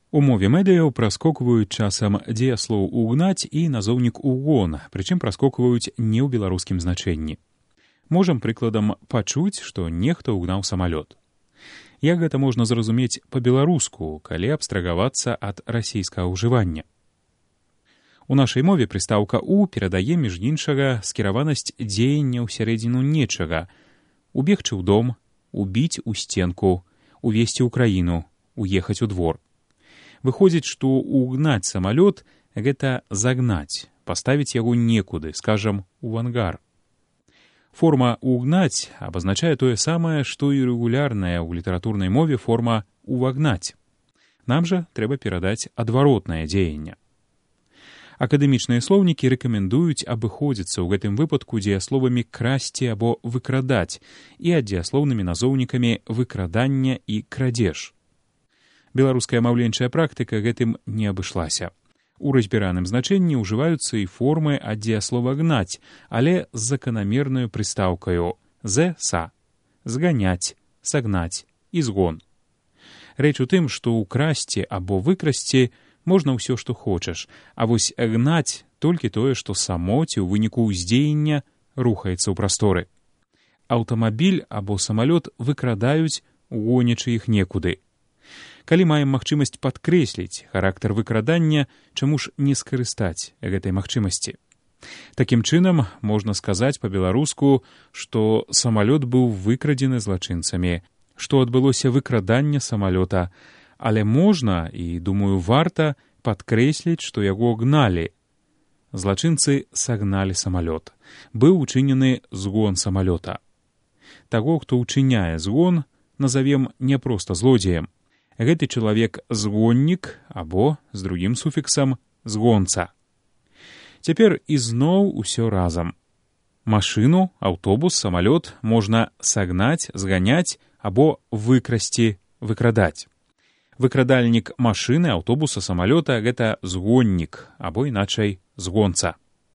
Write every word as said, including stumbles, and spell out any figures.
У мове медыяў праскокваюць часам дзеяслоў «угнаць» і назоўнік «угон», прычым праскокваюць не ў беларускім значэнні. Можам прыкладам пачуць, што нехта ўгнаў самалёт. Як гэта можна зразумець па-беларуску, калі абстрагавацца ад расійскага ўжывання? У нашай мове прыстаўка «у» перадае, між іншага, скіраванасць дзеяння ўсярэдзіну нечага: убегчы ў дом, убіць у стенку, увесці ў краіну, уехаць у двор. Выходзіць, што угнаць самалёт — гэта загнаць, паставіць яго некуды, скажам, у ангар. Форма «угнаць» абазначае тое самае, што і рэгулярная ў літаратурнай мове форма «увагнаць». Нам жа трэба перадаць адваротнае дзеянне. Акадэмічныя слоўнікі рэкамендуюць абыходзіцца ў гэтым выпадку дзеясловамі «красці» або «выкрадаць» і аддзеяслоўнымі назоўнікамі «выкрадання» і «крадзеж». Беларуская маўленчая практыка гэтым не абышлася. У разбіраным значэнні ўжываюцца і формы ад дзеяслова «гнаць», але з заканамернаю прыстаўкаю «з-са» — зганяць, сагнаць і згон. Рэч у тым, што ўкрасці або выкрасці можна ўсё, што хочаш, а вось гнаць толькі тое, што само ці ў выніку ўздзеяння рухаецца ў прасторы. Аўтамабіль або самалёт выкрадаюць, гонячы іх некуды. Калі маем магчымасць падкрэсліць характар выкрадання, чаму ж не скарыстаць гэтай магчымасці? Такім чынам, можна сказаць па-беларуску, што самалёт быў выкрадзены злачынцамі, што адбылося выкраданне самалёта, але можна, і, думаю, варта падкрэсліць, што яго гналі. Злачынцы сагналі самалёт. Быў учынены згон самалёта. Таго, хто ўчыняе згон, назавем не проста злодзеем. Гэты чалавек згоннік або, з другім суфіксам, згонца. Цяпер ізноў усё разам. Машыну, аўтобус, самалёт можна сагнаць, зганяць або выкрасці, выкрадаць. Выкрадальнік машыны, аўтобуса, самалёта — гэта згоннік або, іначай, згонца.